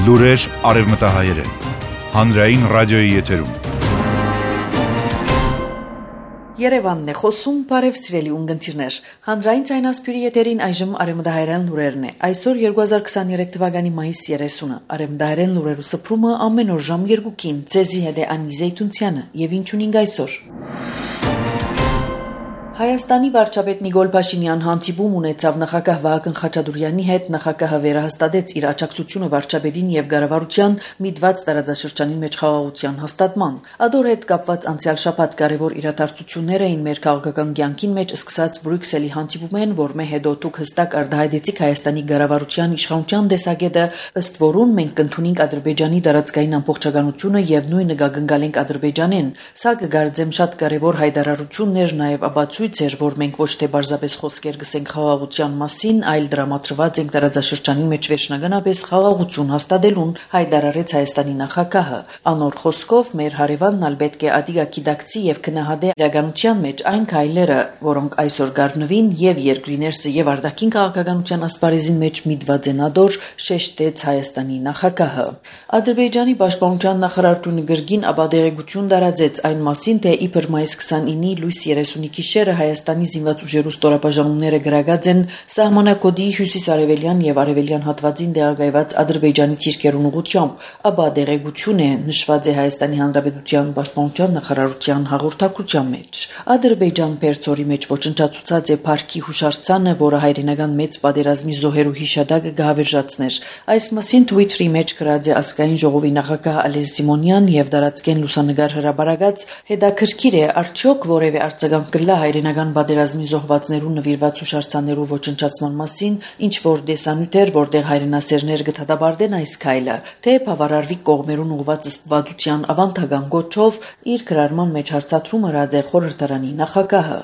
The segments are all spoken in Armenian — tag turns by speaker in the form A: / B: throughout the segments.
A: Լուրեր արևմտահայերեն, հանրային ռադիոյի եթերում։
B: Երևանն է խոսում, բարև սիրելի ունգընտիրներ։ Հանրային ցայնասպյուրի եթերին այժմ արևմտահայերեն լուրերն է։ Այսօր 2023 թվականի մայիս 30-ը։ Արևմտահայերեն լուրերու սփռումը ամեն օր ժամ 2-ին։ Ձեզի հետ է Անի Զեյթունցյանը եւ ինչ ունենք այսօր։ Հայաստանի վարչապետ Նիկոլ Փաշինյան հանդիպում ունեցավ նախագահ Վահագն Խաչատուրեանի հետ, նախագահը վերահաստատեց իր աջակցությունը վարչապետին եւ կառավարության միտված տարածաշրջանի մեջ խաղաղության հաստատման։ Ադոր հետ կապված անցյալ շաբաթ կարևոր իրադարձություններ էին մեր քաղաքական կյանքին մեջ սկսած Բրյուսելի հանդիպումեն, որ մե հետո դուք հստակ արտահայտեցիք Հայաստանի կառավարության իշխանության տեսակետը, ըստ որուն մենք կընդունենք Ադրբեջանի տարածքային ամբողջականությունը եւ նույնը կգնկալենք Ադրբեջանին։ Սա կգարձեմ շատ կարևոր հայտարարություններ, նաեւ ապացույց էր, որ մենք ոչ թե բարձրապես խոսքեր գսենք խաղաղության մասին, այլ դրամատրված ենք տարածաշրջանի մեջ վերջնականապես խաղաղություն հաստատելուն, հայտարարեց Հայաստանի նախագահը։ Անոր խոսքով մեր հարևանն ալ պետք է ադիգա գիտակցի եւ քնահատե իրականության մեջ այն քայլերը, որոնք այսօր գարնվին եւ երկրի ներսը եւ արտաքին քաղաքականության ասպարեզին մեջ միտված են ադոր, շեշտեց Հայաստանի նախագահը։ Ադրբեջանի պաշտպանության նախարարությունը գրգին ապադեղեցություն տարածեց այն մասին, թե իբր մայիս 29-ի լույս 30-ի գիշերը Հայաստանի զինված ուժերու ստորաբաժանումները գրագած են սահմանակոդի հյուսիսարևելյան եւ արևելյան հատվածին տեղակայված Ադրբեջանի թիրքերուն ուղղությամբ, ապա դեղեցություն է նշված է Հայաստանի Հանրապետության պաշտպանության նախարարության հաղորդակցության մեջ։ Ադրբեջան Պերցորի մեջ ոչնչացուցած է Փարքի հուշարձանը, որը հայրենական մեծ պատերազմի զոհերու հիշադակը կհավերժացներ։ Այս մասին Twitter-ի մեջ գրած է ազգային ժողովի նախագահ Ալեն Սիմոնյան եւ դարածքեն լուսանգար հրաբարակած հետաքրքիր է արդյոք որևէ արձագանք կլա հայրենական պատերազմի զոհվածներու նվիրված հուշարձաններու ոչնչացման մասին, ինչ որ դեսանյութեր, որտեղ հայրենասերներ կդատապարտեն այս քայլը, թե բավարարվի կողմերուն ուղված սպվադության ավանդական գոչով իր գրարման մեջ հարցադրում արած է խորհրդարանի նախագահը։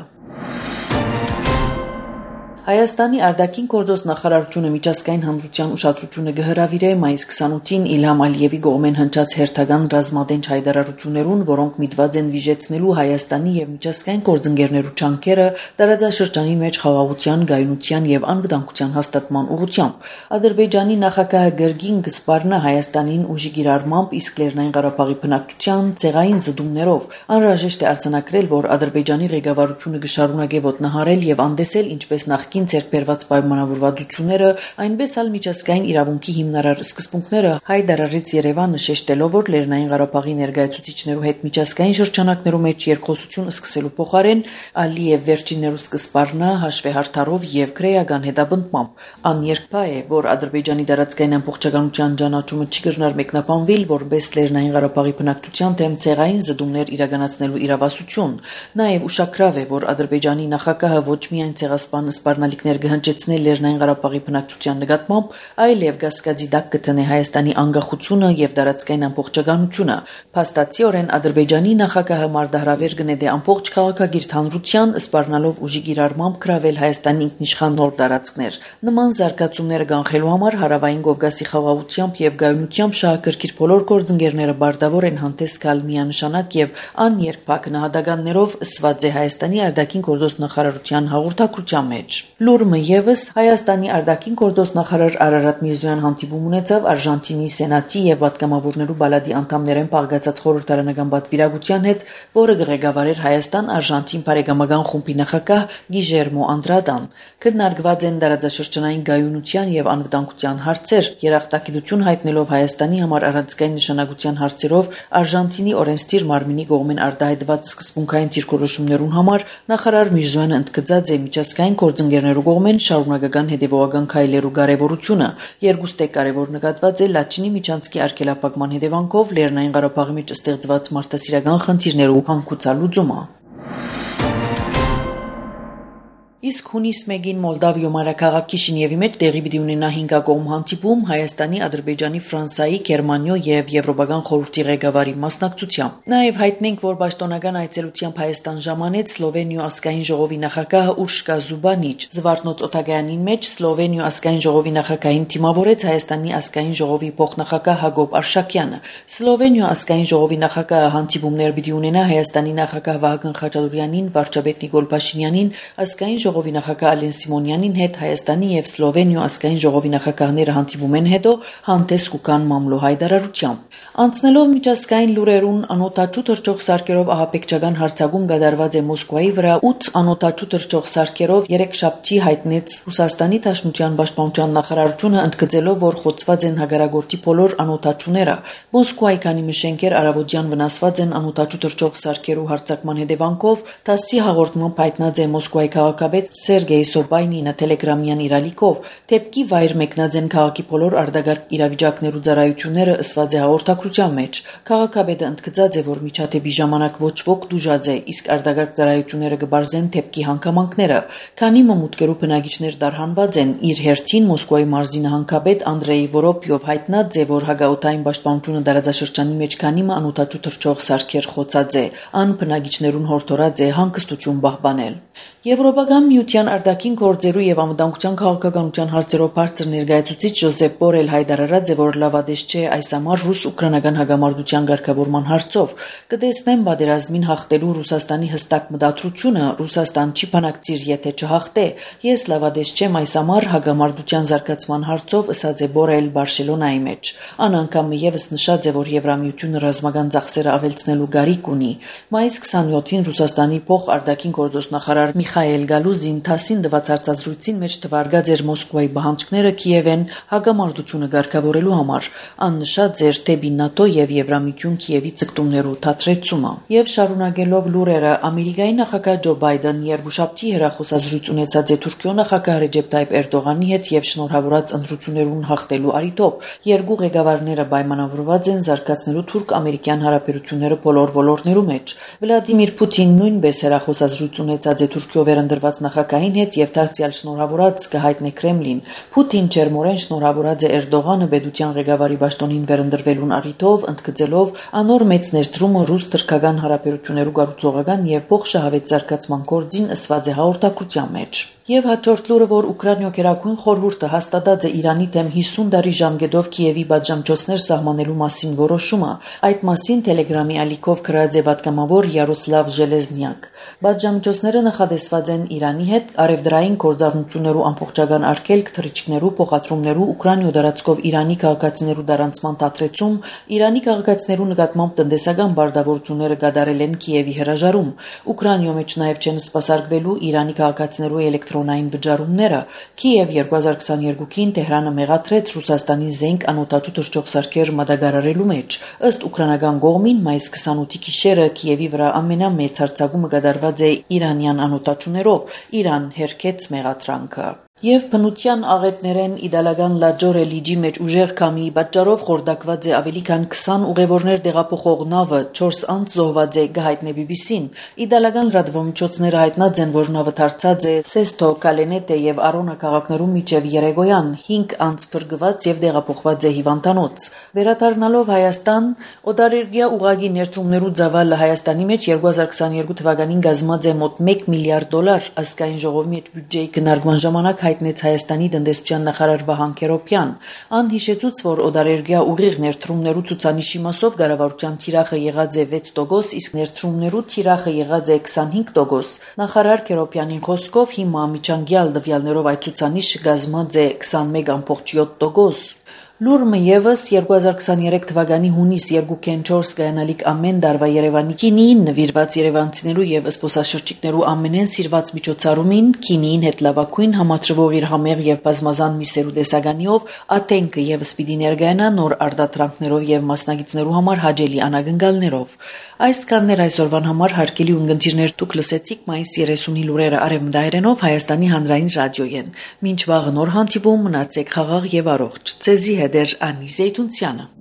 B: Հայաստանի արտաքին գործոս նախարարությունը միջազգային հանրության ուշադրությունը կհրավիրե մայիս 28-ին Իլհամ Ալիևի կողմեն հնչած հերթական ռազմատենչ հայտարարություններուն, որոնք միտված են վիժեցնելու Հայաստանի եւ միջազգային գործընկերներու ջանքերը տարածաշրջանի մեջ խաղաղության, գայունության եւ անվտանգության հաստատման ուղղությամբ։ Ադրբեջանի նախագահը գրգին կսպառնա Հայաստանին ուժի գիրառմամբ, իսկ Լեռնային Ղարաբաղի բնակչության ցեղային զդումներով անհրաժեշտ է արձանագրել, որ Ադրբեջանի ղեկավարությունը կշարունակե ոտնահարել եւ անդեսել ինչպես նախկին ցերբերված պայմանավորվածությունները, այնպես ալ միջազգային իրավունքի հիմնարար սկզբունքները, հայտարարեց Երևանը, շեշտելով, որ Լեռնային Ղարաբաղի ներկայացուցիչներու հետ միջազգային շրջանակներու մեջ երկխոսություն սկսելու փոխարեն Ալիև վերջիններու սկզբառնա հաշվեհարթարով եւ քրեական հետապնդմամբ։ Աներկբա է, որ Ադրբեջանի տարածքային ամբողջականության ճանաչումը չի կրնար մեկնաբանվել որպես Լեռնային Ղարաբաղի բնակչության դեմ ցեղային զդումներ իրականացնելու իրավասություն։ Նաեւ ուշագրավ է, որ Ադրբեջանի նախագահը ոչ միայն ցեղասպան սպառնալիքներ կհնչեցնել Լեռնային Ղարաբաղի բնակչության նկատմամբ, այլև կասկածի տակ կտնե Հայաստանի անկախությունը եւ տարածքային ամբողջականությունը։ Փաստացիորեն Ադրբեջանի նախագահը մարտահրավեր կնետե ամբողջ քաղաքագիրտ հանրության, սպառնալով ուժի գիրառմամբ գրավել Հայաստանի ինքնիշխան նոր տարածքներ։ Նման զարգացումները կանխելու համար Հարավային Կովկասի խաղաղությամբ եւ գայունությամբ շահագրգիռ բոլոր գործընկերները բարտավոր են հանդես գալ միանշանակ եւ աներկբա գնահատականներով, ըսված է Հայաստանի արտաքին գործոս նախարարության հաղորդակցության մեջ։ Լուրը եւս Հայաստանի արտաքին գործոս նախարար Արարատ Միրզոյան հանդիպում ունեցավ Արժանտինի Սենատի եւ պատգամավորներու բալադի անդամներեն պահգացած խորհրդարանական պատվիրակության հետ, որը ղեկավարեր Հայաստան-Արժանտին բարեկամական խումբի նախագահ Գիժերմո Անդրադան։ Քննարկված են տարածաշրջանային գայունության եւ անվտանգության հարցեր, երախտագիտություն հայտնելով Հայաստանի համար առանցքային նշանակության հարցերով Արժանտինի օրենսդիր մարմինի կողմեն արտահայտված սկզբունքային դիրքորոշումներուն համար նախարար Միրզոյանը ընդգծած է միջազգային գործընկերներու կողմեն շարունակական հետևողական քայլերու կարևորությունը։ Երկուստե կարևոր նկատված է Լաչինի միջանցքի արգելափակման հետևանքով Լեռնային Ղարաբաղի մեջ ստեղծված մարդասիրական խնդիրներու հանգուցալուծումը։ Իսկ հունիս 1-ին Մոլդավիո մայրաքաղաք Քիշինևի մեջ տեղի պիտի ունենա 5-կողմ հանդիպում Հայաստանի, Ադրբեջանի, Ֆրանսիայի, Գերմանիո եւ Եվրոպական խորհրդի ղեկավարի մասնակցությամբ։ Նաեւ հայտնենք, որ պաշտոնական այցելությամբ Հայաստան ժամանեց Սլովենիո ազգային ժողովի նախագահ Ուրշկա Զուբանիչ։ Զվարթնոց օթագայանին մեջ Սլովենիո ազգային ժողովի նախագահին թիմավորեց Հայաստանի ազգային ժողովի փոխնախագահ Հակոբ Արշակյանը։ Սլովենիո ազգային ժողովի նախագահը հանդիպումներ պիտի ունենա Հայաստանի նախագահ Վահագն Խաչատուրեանին, վարչապետ Նիկոլ Փաշինյանին, ազգային ժողովի նախագահ Ալեն Սիմոնյանին հետ Հայաստանի եւ Սլովենիա ազգային ժողովի նախագահները հանդիպում են հետո հանդես կուկան մամլո հայտարարությամբ։ Անցնելով միջազգային լուրերուն անօտաչու թռչող սարքերով ահաբեկչական հարձակում կատարված է Մոսկվայի վրա 8 անօտաչու թռչող սարքերով երեքշաբթի հայտնեց Ռուսաստանի Դաշնության պաշտպանության նախարարությունը ընդգծելով, որ խոցված են հագարագործի բոլոր անօտաչուները։ Մոսկվայի քանի մշենքեր առավոտյան վնասված են անօտաչու թռչող սարքերու հարձակման հետևանքով, ՏԱՍՍ-ի հաղորդմամբ հայտնած է Մոսկվայի քաղաքապետ Սերգեյ Սոբայնինը տելեգրամյան իրալիկով, դեպքի վայր մեկնած են քաղաքի բոլոր արտագաղթ իրավիճակներու ծառայությունները ըսված է հաղորդակցության մեջ։ Քաղաքապետը ընդգծած է, որ միջադեպի ժամանակ ոչ ոք դուժած է, իսկ արտագաղթ ծառայությունները կբարձեն դեպքի հանգամանքները։ Քանի մամուտկերու բնակիչներ դարհանված են, իր հերթին Մոսկվայի մարզի նահանգապետ Անդրեյ Որոպյով հայտնած է, որ հագաուտային պաշտպանությունը դարաձաշրջանի մեջ քանի անօտաչու թռչող սարքեր խոցած է, ան բնակիչներուն հորդորած է հանգստություն պահպանել։ Եվրոպական միության արտաքին գործերու եւ անվտանգության քաղաքականության հարցերով բարձր ներկայացուցիչ Ջոզեփ Բորել հայտարարած է, որ լավադես չէ այս ամառ ռուս-ուկրաինական հագամարտության ղեկավարման հարցով։ Կտեսնեն պատերազմին հաղթելու Ռուսաստանի հստակ մտադրությունը, Ռուսաստան չի բանակցիր, եթե չհաղթե։ Ես լավադես չեմ այս ամառ հագամարտության զարգացման հարցով, ըսած է Բորել Բարսելոնայի մեջ։ Ան անգամ եւս նշած է, որ Եվրամիությունը ռազմական ծախսերը ավելցնելու գարիք ունի։ Մայիս 27-ին Ռուսաստանի փոխարտաքին գործոստնախարար Միխայել Գալուզին ՏԱՍՍ-ին տված հարցազրույցին մեջ թվարկած էր Մոսկվայի պահանջները Կիևեն հագամարտությունը ղեկավարելու համար։ Ան նշած էր դեպի ՆԱՏՕ եւ Եվրամիություն Կիևի ցկտումներու թատրեցումը։ Եվ շարունակելով լուրերը, Ամերիկայի նախագահ Ջո Բայդեն երկուշաբթի հեռախոսազրույց ունեցած է Թուրքիո նախագահ Ռեջեփ Թայիփ Էրդողանի հետ եւ շնորհավորած ընտրություններուն հաղթելու առիթով։ Երկու ղեկավարները պայմանավորված են զարգացնելու թուրք-ամերիկյան հարաբերությունները բոլոր ոլորտներու մեջ։ Վլադիմիր Պուտինն նույնպես հեռախոսազրույց ունեցած է Թուրքիո վերընտրված նախագահին հետ եւ դարձյալ շնորհավորած կհայտնի Կրեմլին։ Պուտին ջերմորեն շնորհավորած է Էրդողանը պետության ղեկավարի պաշտոնին վերընտրվելուն առիթով, ընդգծելով անոր մեծ ներդրումը ռուս-թուրքական հարաբերություններու կառուցողական եւ փոխշահավետ զարգացման գործին ըսված է հաղորդակցության մեջ։ Եվ հաջորդ լուրը, որ Ուկրաինա Գերագույն խորհուրդը հաստատած է Իրանի դեմ 50 տարի ժամկետով Կիևի պատժամիջոցներ սահմանելու մասին որոշումը, այդ մասին Տելեգրամի ալիքով գրած է պատգամավոր Յարոսլավ Ժելեզնյակ։ Պատժամիջոցները նախադեсված են Իրանի հետ արևդրային գործառնություններու ամբողջական արգելք, թռիչքներու, փոխադրումներու, Ուկրաինա դարածքով Իրանի քաղաքացիներու դարանցման դադրեցում, Իրանի քաղաքացիներու նկատմամբ տնտեսական բարդավորությունները կատարել են Կիևի հրաժարում։ Ուկրաինա մեջ նաև չեն սպասարկվելու Իրանի քաղաքացիներու էլեկտրոնային վճարումները։ Կիև 2022-ին Տեհրանը մեղադրեց Ռուսաստանի զենք անօտաչու թռչող սարքեր մատակարարելու մեջ։ Ըստ ուկրաինական կողմին մայիս 28-ի գիշերը Կիևի վրա ամենամեծ հարձակումը կատարված է իրանյան անօտաչուներով։ Իրան հերքեց մեղադրանքը։ Եվ բնության աղետներեն իդալական Լաջորե լիճի մեջ ուժեղ քամի պատճառով խորտակված է ավելի քան 20 ուղևորներ տեղափոխող նավը, 4 անձ զոհված է, գահիտնե BBC-ն։ Իդալական լրատվամիջոցները հայտնած են, որ նավը դարձած է Սեստո, Կալենետե եւ Արոնա քաղաքներում միջև երեկոյան, 5 անձ փրկված եւ տեղափոխված է հիվանդանոց։ Վերադառնալով Հայաստան, օտարերկրյա ուղղագի ներդրումներու ծավալը Հայաստանի մեջ 2022 թվականին կազմած է մոտ $1 միլիարդ, ազգային ժողովի մեջ բյուջեի քննարկման ժամանակ հայտնեց Հայաստանի տնտեսության նախարար Վահան Քերոբյան։ Ան հիշեցուց, որ օտարերկրյա ուղիղ ներդրումներու ցուցանիշի մասով կառավարության թիրախը եղած է 6%, իսկ ներդրումներու թիրախը եղած է 25%։ Նախարար Քերոբյանի խոսքով հիմա միջանկյալ տվյալներով այդ ցուցանիշը կազմած է 21.7%։ Լուրը եւս 2023 թվականի հունիս 2.4 գայանալիք ամեն դարվա Երևանի քինիին նվիրված երևանցիներու եւ զբոսաշրջիկներու ամենեն սիրված միջոցառումին քինիին հետ լավագույն համաձրվող իր համեղ եւ բազմազան միսերու տեսականիով աթենքը եւս պիտի ներկայանա նոր արտադրանքներով եւ մասնագետներու համար հաջելի անակնկալներով։ Այս կաններ այսօրվան համար հարգելի ունգընտիրներ դուք լսեցիք մայիս 30-ի լուրերը արևմտահայերենով Հայաստանի հանրային ռադիոյեն։ Մինչ վաղը նոր հանդիպում մնացեք խաղաղ եւ առողջ։ Ցեզի Անի Զեյթունցյանը